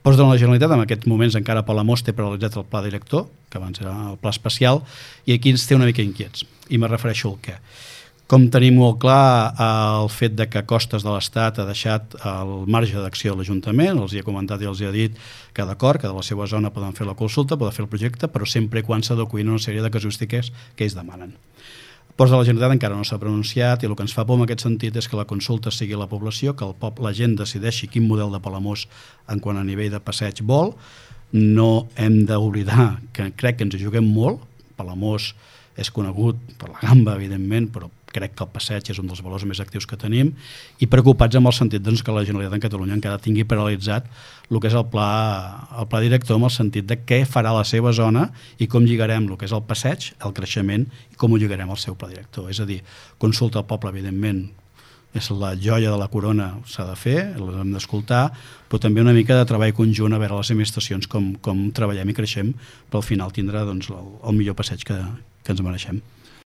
Ports de la Generalitat, en aquests moments encara Palamós té paralitzat el pla director, que abans era el pla especial, i aquí ens té una mica inquiets, i me refereixo al què. Com tenim molt clar el fet de que Costes de l'Estat ha deixat el marge d'acció de l'Ajuntament, els hi he comentat i els hi he dit que d'acord, que de la seva zona poden fer la consulta, poden fer el projecte, però sempre quan s'adequin una sèrie de casuístiques que ells demanen. Ports de la Generalitat encara no s'ha pronunciat i el que ens fa por en aquest sentit és que la consulta sigui la població, que la gent decideixi quin model de Palamós en quant a nivell de passeig vol. No hem d'oblidar que crec que ens hi juguem molt. Palamós és conegut per la gamba, evidentment, però crec que el passeig és un dels valors més actius que tenim i preocupats amb el sentit que la Generalitat de Catalunya encara tingui paralitzat el que és el pla director, amb el sentit de què farà la seva zona i com lligarem el que és el passeig, el creixement i com ho lligarem al seu pla director. És a dir, consulta al poble, evidentment, és la joia de la corona, s'ha de fer, l'hem d'escoltar, però també una mica de treball conjunt a veure les administracions com treballem i creixem per al final tindre el millor passeig que ens mereixem.